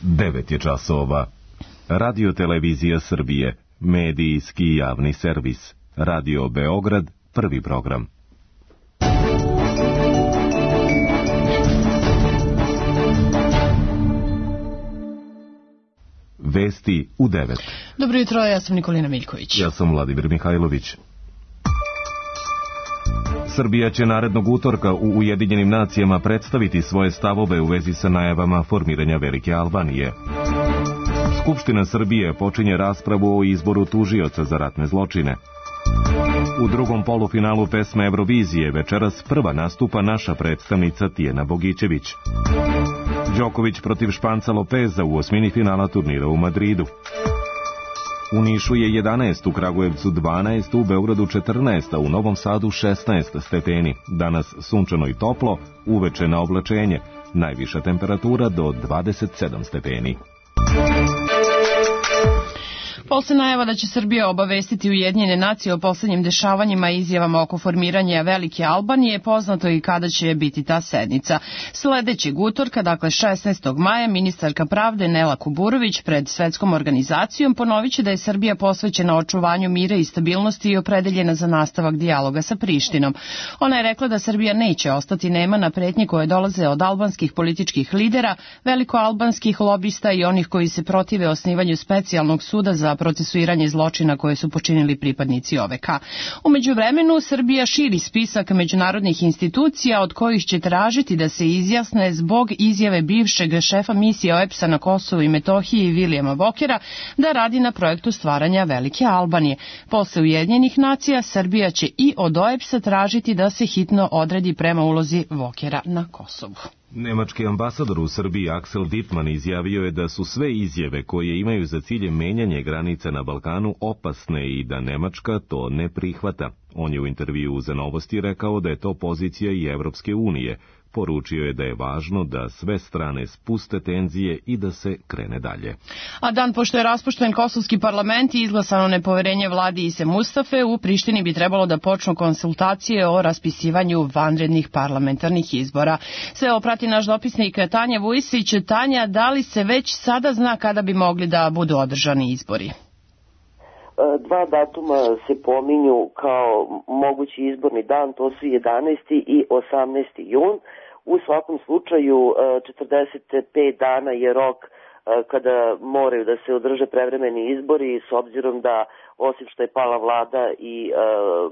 9 je časova. Radio Televizija Srbije, medijski javni servis. Radio Beograd, prvi program. Vesti u 9. Dobro jutro, ja sam Nikolina Miljković. Ja sam Vladimir Mihajlović. Srbija će narednog utorka u Ujedinjenim nacijama predstaviti svoje stavove u vezi sa najavama formiranja Velike Albanije. Skupština Srbije počinje raspravu o izboru tužioca za ratne zločine. U drugom polufinalu pesme Eurovizije večeras prva nastupa naša predstavnica Tijena Bogićević. Đoković protiv Španca Lopeza u osmini finala turnira u Madridu. U Nišu je 11, u Kragujevcu 12, u Beogradu 14, a u Novom Sadu 16 stepeni. Danas sunčano i toplo, uveče na oblačenje. Najviša temperatura do 27 stepeni. Posle najava da će Srbija obavestiti Ujedinjene nacije o poslednjim dešavanjima i izjavama oko formiranja Velike Albanije, poznato i kada će biti ta sednica. Sledećeg utorka, dakle 16. maja, ministarka pravde Nela Kuburović pred Svetskom organizacijom ponoviće da je Srbija posvećena očuvanju mira i stabilnosti i opredeljena za nastavak dijaloga sa Prištinom. Ona je rekla da Srbija neće ostati nema na pretnje koje dolaze od albanskih političkih lidera, velikoalbanskih lobista i onih koji se protive osnivanju specijalnog suda za procesuiranje zločina koje su počinili pripadnici OVK. U međuvremenu, Srbija širi spisak međunarodnih institucija od kojih će tražiti da se izjasne zbog izjave bivšeg šefa misije OEBS-a na Kosovu i Metohiji Vilijama Vokera da radi na projektu stvaranja Velike Albanije. Posle Ujedinjenih nacija, Srbija će i od OEBS-a tražiti da se hitno odredi prema ulozi Vokera na Kosovu. Nemački ambasador u Srbiji Axel Dittmann izjavio je da su sve izjave koje imaju za cilj menjanje granica na Balkanu opasne i da Nemačka to ne prihvata. On je u intervjuu za Novosti rekao da je to pozicija i Evropske unije. Poručio je da je važno da sve strane spuste tenzije i da se krene dalje. A dan pošto je raspušten kosovski parlament i izglasano nepoverenje vladi Ise Mustafe, u Prištini bi trebalo da počnu konsultacije o raspisivanju vanrednih parlamentarnih izbora. Sve oprati naš dopisnik Tanja Vujsić. Tanja, da li se već sada zna kada bi mogli da budu održani izbori? Dva datuma se pominju kao mogući izborni dan, to su 11. i 18. jun. U svakom slučaju 45 dana je rok kada moraju da se održe prevremeni izbori, s obzirom da osim što je pala vlada i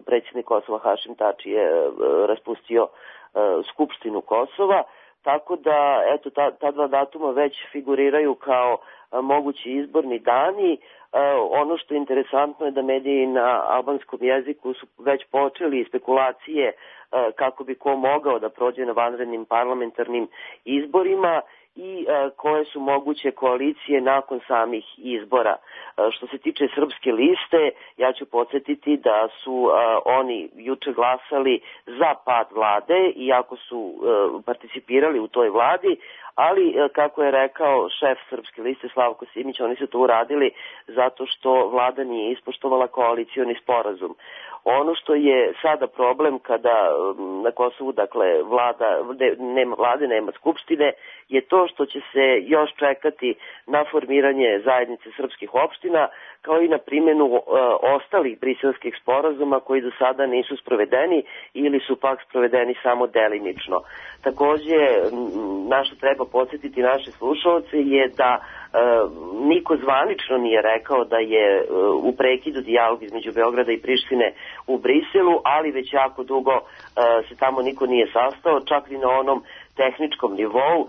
predsjednik Kosova Hašim Tači je raspustio Skupštinu Kosova. Tako da, eto, ta dva datuma već figuriraju kao mogući izborni dani. Ono što je interesantno je da mediji na albanskom jeziku su već počeli spekulacije kako bi ko mogao da prođe na vanrednim parlamentarnim izborima i koje su moguće koalicije nakon samih izbora. Što se tiče Srpske liste, ja ću podsjetiti da su oni juče glasali za pad vlade, iako su participirali u toj vladi, ali kako je rekao šef Srpske liste Slavko Simić, oni su to uradili zato što vlada nije ispoštovala koalicioni sporazum. Ono što je sada problem kada na Kosovu, dakle, nema vlade, nema skupštine, je to što će se još čekati na formiranje zajednice srpskih opština, kao i na primjenu ostalih briselskih sporazuma koji do sada nisu sprovedeni ili su pak sprovedeni samo delimično. Takođe, našto treba podsjetiti naše slušalce je da niko zvanično nije rekao da je u prekidu dijalog između Beograda i Prištine u Briselu, ali već jako dugo se tamo niko nije sastao, čak i na onom tehničkom nivou.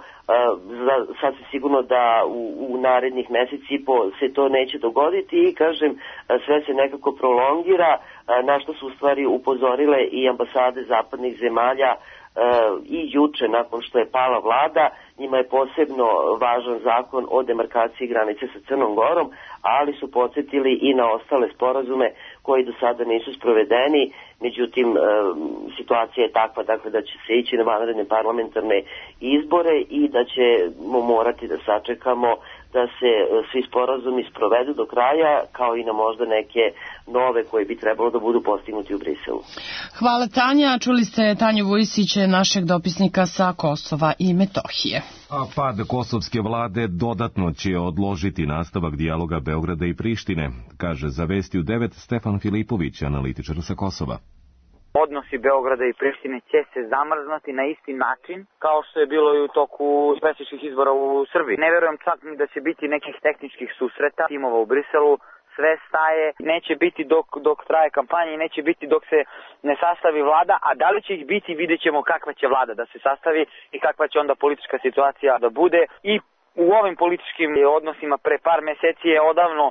Sasvim sigurno da u narednih meseci i po se to neće dogoditi i, kažem, sve se nekako prolongira, na što su u stvari upozorile i ambasade zapadnih zemalja i juče nakon što je pala vlada. Njima je posebno važan zakon o demarkaciji granice sa Crnom Gorom, ali su podsjetili i na ostale sporazume koji do sada nisu sprovedeni. Međutim, situacija je takva, dakle, da će se ići na vanredne parlamentarne izbore i da ćemo morati da sačekamo da se svi sporazumi sprovedu do kraja, kao i na možda neke nove koje bi trebalo da budu postignuti u Briselu. Hvala, Tanja. Čuli ste Tanju Vujsić, našeg dopisnika sa Kosova i Metohije. A pad kosovske vlade dodatno će odložiti nastavak dijaloga Beograda i Prištine, kaže za Vesti u 9 Stefan Filipović, analitičar sa Kosova. Odnosi Beograda i Prištine će se zamrznuti na isti način kao što je bilo i u toku predsjedničkih izbora u Srbiji. Ne verujem čak ni da će biti nekih tehničkih susreta timova u Briselu. Sve staje, neće biti dok traje kampanja i neće biti dok se ne sastavi vlada, a da li će ih biti vidjet ćemo kakva će vlada da se sastavi i kakva će onda politička situacija da bude. I u ovim političkim odnosima pre par meseci je odavno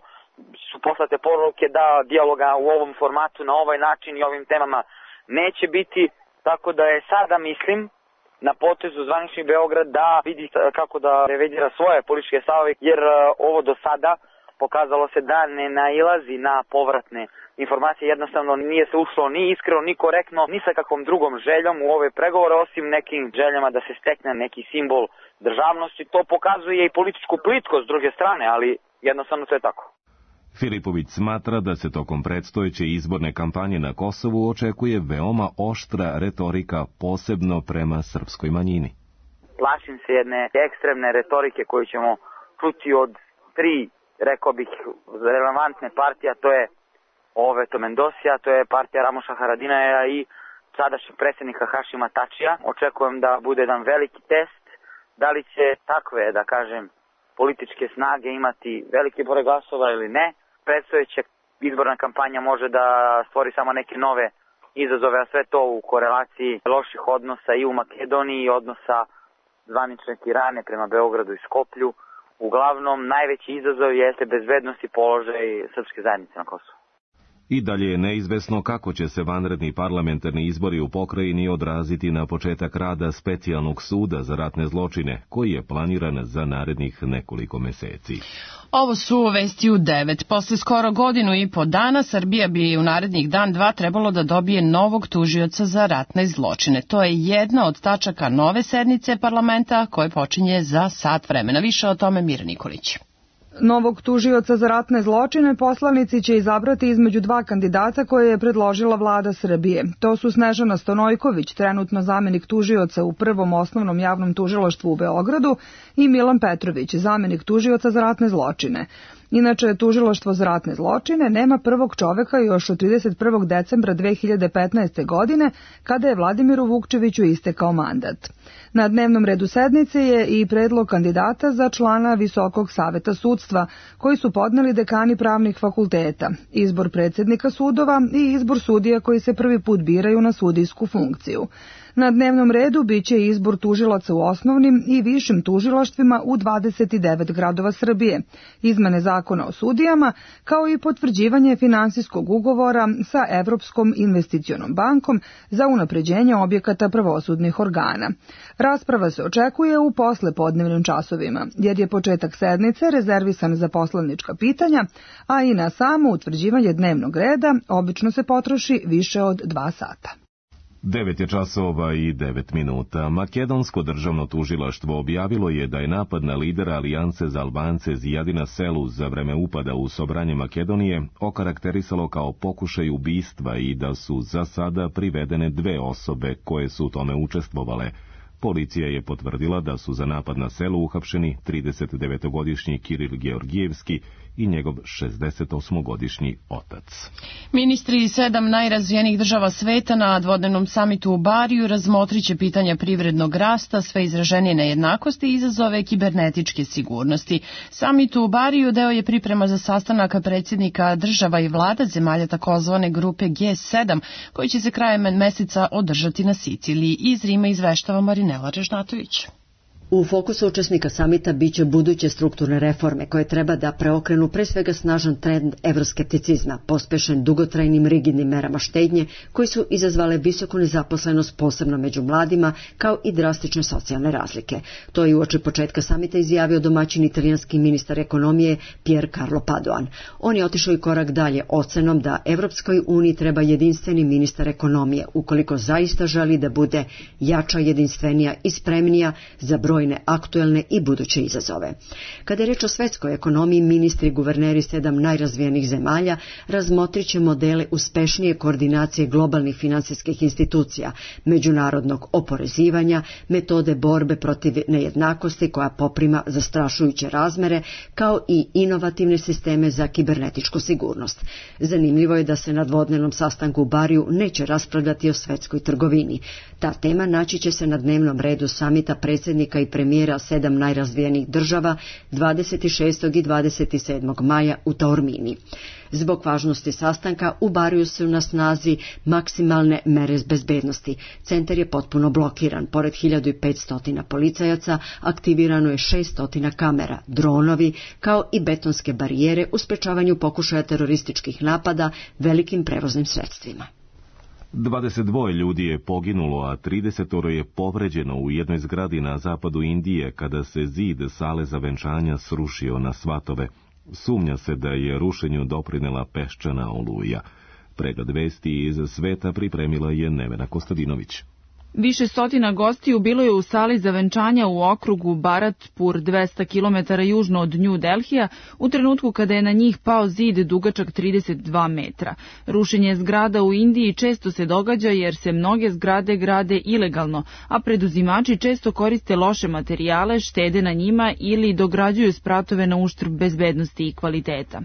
su poslate poruke da dijaloga u ovom formatu na ovaj način i ovim temama neće biti, tako da je sada mislim na potezu zvanični Beograd da vidi kako da revidira svoje političke stavove, jer ovo do sada pokazalo se da ne nailazi na povratne informacije, jednostavno nije se ušlo ni iskreno, ni korektno, ni sa kakvom drugom željom u ove pregovore, osim nekim željama da se stekne neki simbol državnosti. To pokazuje i političku plitkost s druge strane, ali jednostavno to je tako. Filipović smatra da se tokom predstojeće izborne kampanje na Kosovu očekuje veoma oštra retorika, posebno prema srpskoj manjini. Plašim se jedne ekstremne retorike koju ćemo čuti od tri, rekao bih, relevantne partije, to je Oveto Mendosija, to je partija Ramoša Haradinaja i sadašnjeg predsjednika Hašima Tačija. Očekujem da bude jedan veliki test, da li će takve, da kažem, političke snage imati veliki broj glasova ili ne. Predstojeća izborna kampanja može da stvori samo neke nove izazove, a sve to u korelaciji loših odnosa i u Makedoniji i odnosa zvanične Tirane prema Beogradu i Skoplju. Uglavnom, najveći izazov jeste bezbednost i položaj srpske zajednice na Kosovu. I dalje je neizvesno kako će se vanredni parlamentarni izbori u pokrajini odraziti na početak rada specijalnog suda za ratne zločine, koji je planiran za narednih nekoliko meseci. Ovo su Vesti u 9. Posle skoro godinu i po dana Srbija bi u narednih dan dva trebalo da dobije novog tužioca za ratne zločine. To je jedna od tačaka nove sednice parlamenta koje počinje za sat vremena. Više o tome Mira Nikolić. Novog tužioca za ratne zločine poslanici će izabrati između dva kandidata koje je predložila vlada Srbije. To su Snežana Stonojković, trenutno zamenik tužioca u Prvom osnovnom javnom tužilaštvu u Beogradu, i Milan Petrović, zamenik tužioca za ratne zločine. Inače, tužilaštvo za ratne zločine nema prvog čoveka još od 31. decembra 2015. godine, kada je Vladimiru Vukčeviću istekao mandat. Na dnevnom redu sednice je i predlog kandidata za člana Visokog saveta sudstva, koji su podneli dekani pravnih fakulteta, izbor predsjednika sudova i izbor sudija koji se prvi put biraju na sudijsku funkciju. Na dnevnom redu biće izbor tužilaca u osnovnim i višim tužilaštvima u 29 gradova Srbije, izmene zakona o sudijama, kao i potvrđivanje finansijskog ugovora sa Evropskom investicionom bankom za unapređenje objekata pravosudnih organa. Rasprava se očekuje u poslepodnevnim časovima, jer je početak sednice rezervisan za poslanička pitanja, a i na samo utvrđivanje dnevnog reda obično se potroši više od 2 sata. 9 je časova i 9 minuta. Makedonsko državno tužilaštvo objavilo je da je napad na lidera Alijanse za Albance Zijadina Selu za vreme upada u Sobranje Makedonije okarakterisalo kao pokušaj ubistva i da su za sada privedene 2 osobe koje su u tome učestvovale. Policija je potvrdila da su za napad na Selu uhapšeni 39-godišnji Kiril Georgijevski i njegov 68-godišnji otac. Ministri 7 najrazvijenijih država sveta na dvodnevnom samitu u Bariju razmotrit će pitanja privrednog rasta, sve izraženije nejednakosti i izazove kibernetičke sigurnosti. Samit u Bariju deo je priprema za sastanak predsjednika država i vlada zemalja takozvane grupe G7, koji će se krajem meseca održati na Siciliji. Iz Rima izveštava Marinela Režnatović. U fokusu učesnika samita biće buduće strukturne reforme koje treba da preokrenu pre svega snažan trend evroskepticizma, pospešen dugotrajnim rigidnim merama štednje koji su izazvale visoku nezaposlenost posebno među mladima kao i drastične socijalne razlike. To je uoči početka samita izjavio domaćin italijanski ministar ekonomije Pier Carlo Padoan. On je otišao i korak dalje ocenom da Evropskoj uniji treba jedinstveni ministar ekonomije ukoliko zaista želi da bude jača, jedinstvenija i spremnija za broj brojne aktuelne i buduće izazove. Kada je reč o svetskoj ekonomiji, ministri i guverneri 7 najrazvijenih zemalja razmotrit će modele uspešnije koordinacije globalnih finansijskih institucija, međunarodnog oporezivanja, metode borbe protiv nejednakosti koja poprima zastrašujuće razmere, kao i inovativne sisteme za kibernetičku sigurnost. Zanimljivo je da se na dvodnevnom sastanku u Bariju neće raspravljati o svetskoj trgovini. Ta tema naći će se na dnevnom redu samita predsjednika i premijera 7 najrazvijenih država 26. i 27. maja u Taormini. Zbog važnosti sastanka u Bariju su na snazi maksimalne mere bezbednosti. Centar je potpuno blokiran. Pored 1500 policajaca aktivirano je 600 kamera, dronovi, kao i betonske barijere u sprečavanju pokušaja terorističkih napada velikim prevoznim sredstvima. 22 ljudi je poginulo, a 30 je povređeno u jednoj zgradi na zapadu Indije kada se zid sale za venčanja srušio na svatove. Sumnja se da je rušenju doprinela peščana oluja. Pregled vesti iz sveta pripremila je Nevena Kostadinović. Više stotina gostiju bilo je u sali za venčanja u okrugu Bharatpur 200 km južno od New Delhija u trenutku kada je na njih pao zid dugačak 32 metra. Rušenje zgrada u Indiji često se događa jer se mnoge zgrade grade ilegalno, a preduzimači često koriste loše materijale, štede na njima ili dograđuju spratove na uštrb bezbednosti i kvaliteta.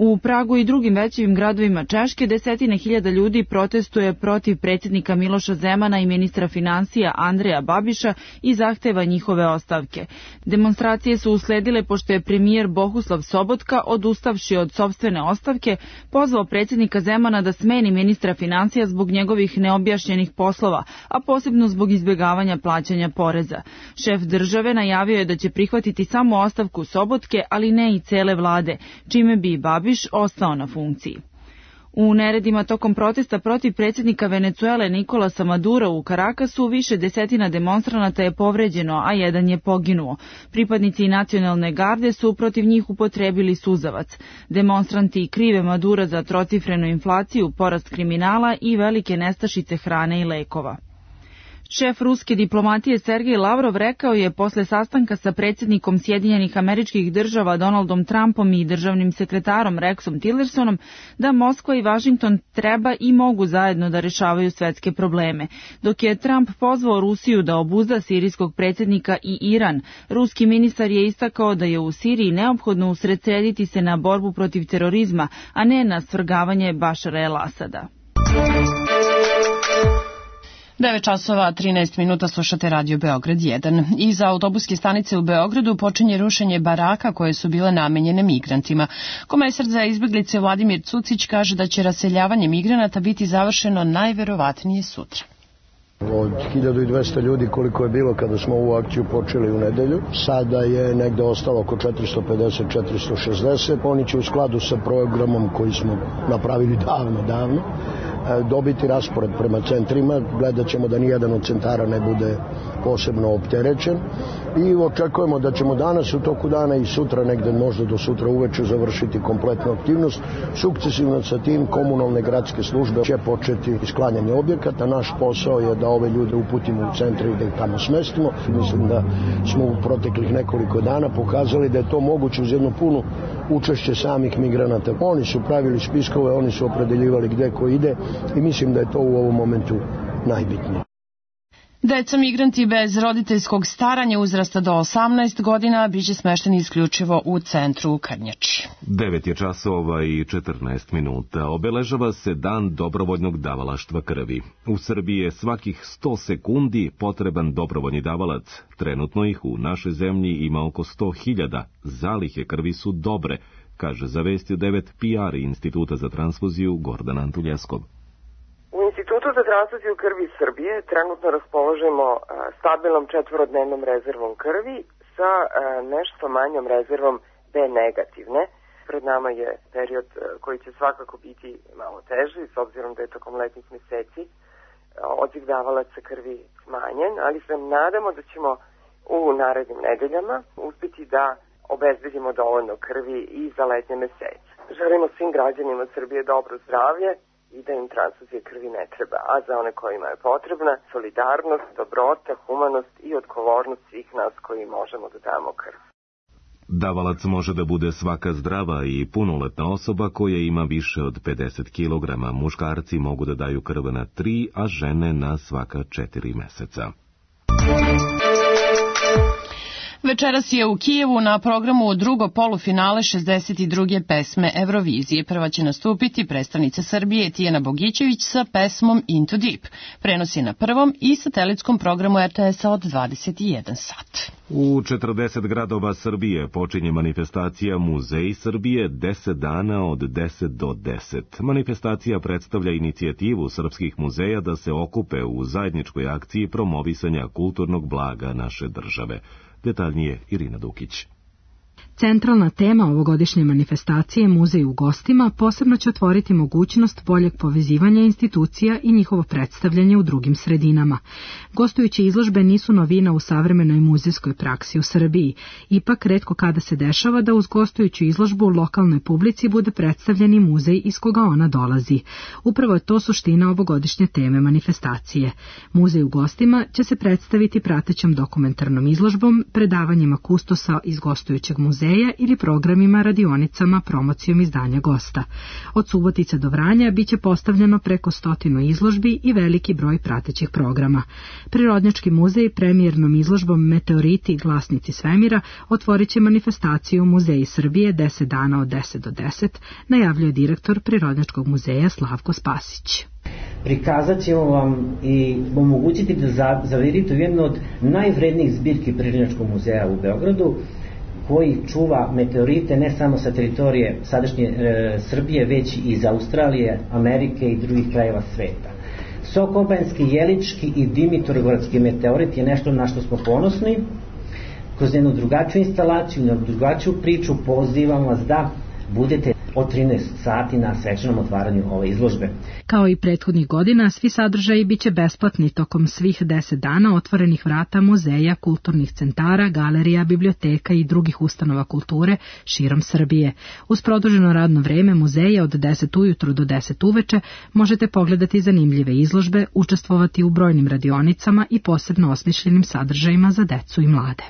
U Pragu i drugim većim gradovima Češke desetine hiljada ljudi protestuje protiv predsjednika Miloša Zemana i ministra finansija Andreja Babiša i zahteva njihove ostavke. Demonstracije su usledile pošto je premijer Bohuslav Sobotka, odustavši od sopstvene ostavke, pozvao predsjednika Zemana da smeni ministra finansija zbog njegovih neobjašnjenih poslova, a posebno zbog izbjegavanja plaćanja poreza. Šef države najavio je da će prihvatiti samo ostavku Sobotke, ali ne i cele vlade, čime bi Babiš ostao na funkciji. U neredima tokom protesta protiv predsjednika Venecuele Nikolasa Madura u Karakasu više desetina demonstranata je povređeno, a jedan je poginuo. Pripadnici nacionalne garde su protiv njih upotrebili suzavac. Demonstranti krive Madura za trocifrenu inflaciju, porast kriminala i velike nestašice hrane i lekova. Šef ruske diplomatije Sergej Lavrov rekao je posle sastanka sa predsjednikom Sjedinjenih Američkih Država Donaldom Trumpom i državnim sekretarom Rexom Tillersonom da Moskva i Washington treba i mogu zajedno da rešavaju svetske probleme. Dok je Trump pozvao Rusiju da obuzda sirijskog predsjednika i Iran, ruski ministar je istakao da je u Siriji neophodno usredsrediti se na borbu protiv terorizma, a ne na svrgavanje Bašara el-Asada. 9 časova 13 minuta slušate Radio Beograd 1. Iza autobuske stanice u Beogradu počinje rušenje baraka koje su bile namenjene migrantima. Komesar za izbjeglice Vladimir Cucić kaže da će raseljavanje migranata biti završeno najverovatnije sutra. Od 1200 ljudi koliko je bilo kada smo ovu akciju počeli u nedelju, sada je negde ostalo oko 450-460. Oni će u skladu sa programom koji smo napravili davno dobiti raspored prema centrima. Gledat ćemo da nijedan od centara ne bude posebno opterećen i očekujemo da ćemo danas u toku dana i sutra, negde možda do sutra uveče, završiti kompletnu aktivnost. Sukcesivno sa tim komunalne gradske službe će početi sklanjanje objekata. Naš posao je da ove ljude uputimo u centre i da ih tamo smestimo. Mislim da smo u proteklih nekoliko dana pokazali da je to moguće uz jednu punu učešće samih migranata. Oni su pravili spiskove, oni su opredeljivali gde ko ide i mislim da je to u ovom momentu najbitnije. Deca migranti bez roditeljskog staranja uzrasta do 18 godina biće smešteni isključivo u centru u Krnjači. 9 je časova i 14 minuta. Obeležava se dan dobrovoljnog davalaštva krvi. U Srbiji je svakih 100 sekundi potreban dobrovoljni davalac. Trenutno ih u našoj zemlji ima oko 100.000. Zalihe krvi su dobre, kaže za Vesti 9 PR Instituta za transfuziju Gordan Antuljeskov. U Institutu za transfuziju krvi Srbije trenutno raspoložimo stabilnom 4-dnevnom rezervom krvi sa nešto manjom rezervom B negativne. Pred nama je period koji će svakako biti malo teži, s obzirom da je tokom letnjih meseci odziv davalaca krvi smanjen, ali se nadamo da ćemo u narednim nedeljama uspjeti da obezbedimo dovoljno krvi i za letnje mesece. Želimo svim građanima Srbije dobro zdravlje i da im transfuzija krvi ne treba, a za one kojima je potrebna solidarnost, dobrota, humanost i odgovornost svih nas koji možemo da damo krv. Davalac može da bude svaka zdrava i punoletna osoba koja ima više od 50 kg. Muškarci mogu da daju krv na 3, a žene na svaka 4 meseca. Večeras je u Kijevu na programu drugo polufinale 62. pesme Eurovizije. Prva će nastupiti predstavnica Srbije Tijana Bogićević sa pesmom Into Deep. Prenos je na prvom i satelitskom programu RTS-a od 21 sat. U 40 gradova Srbije počinje manifestacija Muzej Srbije 10 dana od 10 do 10. Manifestacija predstavlja inicijativu srpskih muzeja da se okupe u zajedničkoj akciji promovisanja kulturnog blaga naše države. Detaljnije Irina Dukić. Centralna tema ovogodišnje manifestacije Muzej u gostima posebno će otvoriti mogućnost boljeg povezivanja institucija i njihovo predstavljanje u drugim sredinama. Gostujuće izložbe nisu novina u savremenoj muzejskoj praksi u Srbiji. Ipak, retko kada se dešava da uz gostujuću izložbu u lokalnoj publici bude predstavljeni muzej iz koga ona dolazi. Upravo je to suština ovogodišnje teme manifestacije. Muzej u gostima će se predstaviti pratećom dokumentarnom izložbom, predavanjima kustosa iz gostujućeg muzeja ili programima, radionicama, promocijom izdanja gosta. Od Subotice do Vranja biće postavljeno preko 100 izložbi i veliki broj pratećih programa. Prirodnjački muzej premijernom izložbom Meteoriti, glasnici svemira otvorit će manifestaciju Muzeji Srbije 10 dana od 10 do 10, najavljuje direktor Prirodnjačkog muzeja Slavko Spasić. Prikazat ćemo vam i omogućiti da zavirite u jednu od najvrednijih zbirki Prirodnjačkog muzeja u Beogradu, koji čuva meteorite ne samo sa teritorije sadašnje Srbije, već i iz Australije, Amerike i drugih krajeva sveta. Sokobanjski, Jelički i Dimitrovgradski meteorit je nešto na što smo ponosni. Kroz jednu drugačiju instalaciju, na drugačiju priču pozivam vas da budete od 13 sati na svečanom otvaranju ove izložbe. Kao i prethodnih godina, svi sadržaji biće besplatni tokom svih 10 dana otvorenih vrata muzeja, kulturnih centara, galerija, biblioteka i drugih ustanova kulture širom Srbije. Uz produženo radno vreme muzeja od 10 ujutru do 10 uveče možete pogledati zanimljive izložbe, učestvovati u brojnim radionicama i posebno osmišljenim sadržajima za decu i mlade.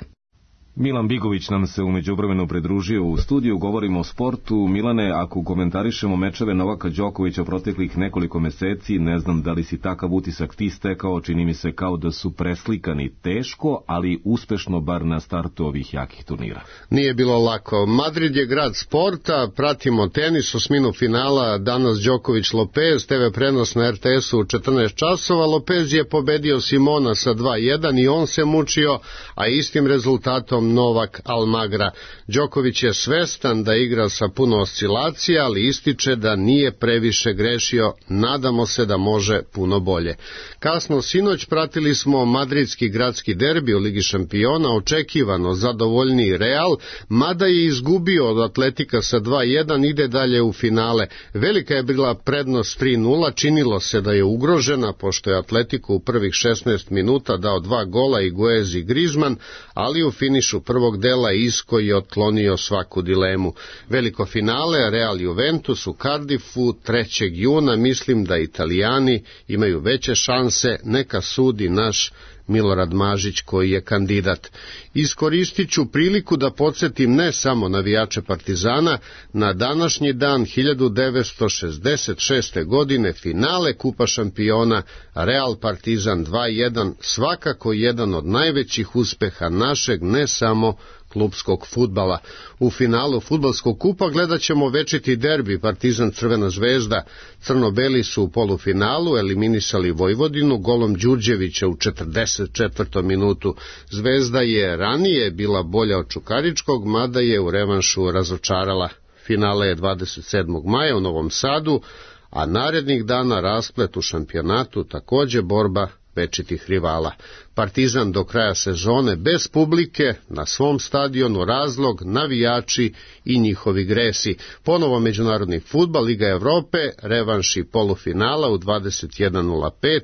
Milan Bigović nam se u međuvremenu pridružio u studiju, govorimo o sportu. Milane, ako komentarišemo mečeve Novaka Đokovića proteklih nekoliko meseci, ne znam da li si takav utisak ti stekao, čini mi se kao da su preslikani teško, ali uspešno bar na startu ovih jakih turnira. Nije bilo lako. Madrid je grad sporta, pratimo tenis, osminu finala, danas Đoković Lopez, TV prenos na RTS-u u 14 časova, Lopez je pobedio Simona sa 2-1 i on se mučio, a istim rezultatom Novak Almagra. Đoković je svestan da igra sa puno oscilacija, ali ističe da nije previše grešio, nadamo se da može puno bolje. Kasno sinoć pratili smo madridski gradski derbi u Ligi šampiona, očekivano zadovoljniji Real, mada je izgubio od Atletika sa 2-1, ide dalje u finale. Velika je bila prednost 3-0, činilo se da je ugrožena, pošto je Atletico u prvih 16 minuta dao 2 gola, Higuez i Griezmann, ali u finišu prvog dela Isco je otklonio svaku dilemu. Veliko finale, Real Juventus u Cardiffu 3. juna, mislim da Italijani imaju veće šanse, neka sudi naš Milorad Mažić koji je kandidat. Iskoristit ću priliku da podsjetim ne samo navijače Partizana, na današnji dan 1966. godine finale Kupa šampiona Real Partizan 2-1, svakako jedan od najvećih uspeha našeg ne samo klubskog fudbala. U finalu fudbalskog kupa gledat ćemo večiti derbi Partizan Crvena zvezda. Crno-beli su u polufinalu eliminisali Vojvodinu golom Đurđevića u 44. minutu. Zvezda je ranije bila bolja od Čukaričkog, mada je u revanšu razočarala. Finale je 27. maja u Novom Sadu, a narednih dana rasplet u šampionatu, takođe borba večitih rivala. Partizan do kraja sezone bez publike, na svom stadionu razlog, navijači i njihovi gresi. Ponovo međunarodni fudbal, Liga Evrope, revanši polufinala u 21:05,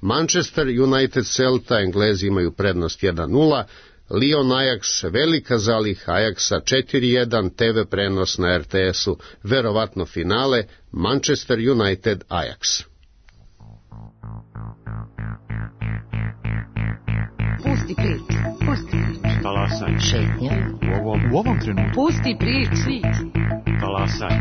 Manchester United Celta, Englezi imaju prednost 1:0, Lyon Ajax, velika zaliha Ajaxa 4-1, TV prenos na RTS-u, verovatno finale Manchester United Ajax. Pusti priču, pusti priču. Talasaj. Šetnja. U ovom trenutku. Pusti priču. Talasaj.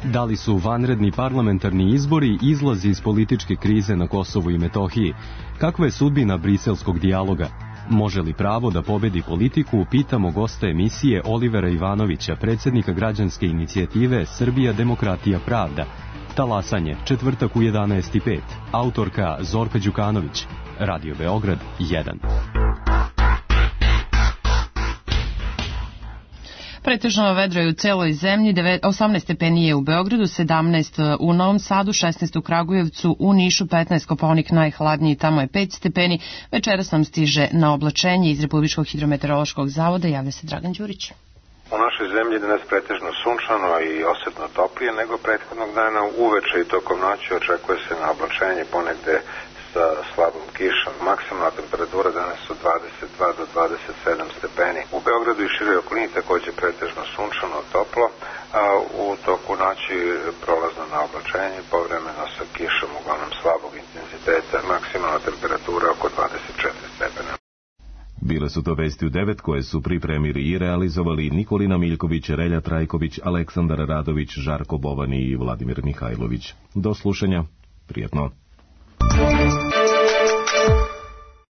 Da li su vanredni parlamentarni izbori izlazi iz političke krize na Kosovu i Metohiji? Kakva je sudbina briselskog dijaloga? Može li pravo da pobedi politiku? Pitamo gosta emisije Olivera Ivanovića, predsjednika građanske inicijative Srbija, demokratija, pravda. Talasanje, četvrtak u 11:05. Autorka Zorka Đukanović. Radio Beograd 1. Pretežno vedro je u celoj zemlji, 18 stepeni je u Beogradu, 17 u Novom Sadu, 16 u Kragujevcu, u Nišu 15, Kopaonik najhladniji, tamo je 5 stepeni. Večeras nam stiže na oblačenje iz Republičkog hidrometeorološkog zavoda, javlja se Dragan Đurić. U našoj zemlji je danas pretežno sunčano i osetno toplije nego prethodnog dana. Uveče i tokom noći očekuje se na oblačenje ponegde sa slabom kišom. Maksimalna temperatura danas su 22 do 27 stepeni. U Beogradu i široj okolini takođe pretežno sunčano toplo, a u toku noći prolazno na oblačenje, povremeno sa kišom uglavnom slabog intenziteta. Maksimalna temperatura oko 24 stepena. Bile su to vesti u 9 koje su pripremili i realizovali Nikolina Miljković, Relja Trajković, Aleksandar Radović, Žarko Bovani i Vladimir Mihajlović. Do slušanja, prijetno.